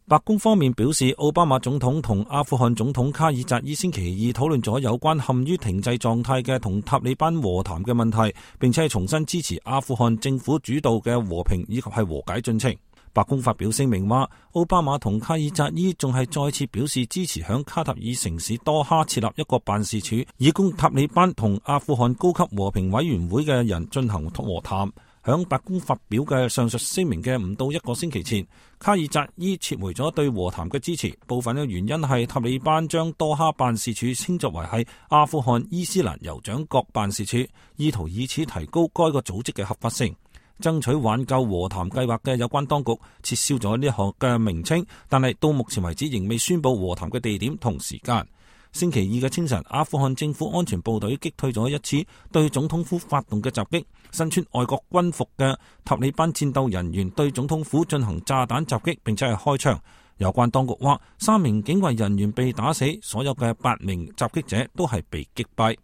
白宮方面表示，奧巴馬總統同阿富汗總統卡爾扎伊星期二討論咗有關陷於停滯狀態嘅同塔利班和談嘅問題，並且係重新支持阿富汗政府主導嘅和平以及係和解進程。白宮發表聲明話，奧巴馬同卡爾扎伊仲係再次表示支持響卡塔爾城市多哈設立一個辦事處，以供塔利班同阿富汗高級和平委員會嘅人進行和談。響白宮發表嘅上述聲明嘅唔到一個星期前，卡爾扎伊撤回咗對和談嘅支持，部分嘅原因係塔利班將多哈辦事處稱作為係阿富汗伊斯蘭酋長國辦事處，意圖以此提高該個組織嘅合法性。爭取挽救和談計劃嘅有關當局撤銷咗呢項嘅名稱，但係到目前為止仍未宣布和談嘅地點同時間。星期二嘅清晨，阿富汗政府安全部隊擊退咗一次對總統府發動嘅襲擊，身穿外國軍服嘅塔利班戰鬥人員對總統府進行炸彈襲擊，並且係開槍。有關當局話，3名警衛人員被打死，所有嘅8名襲擊者都係被擊斃。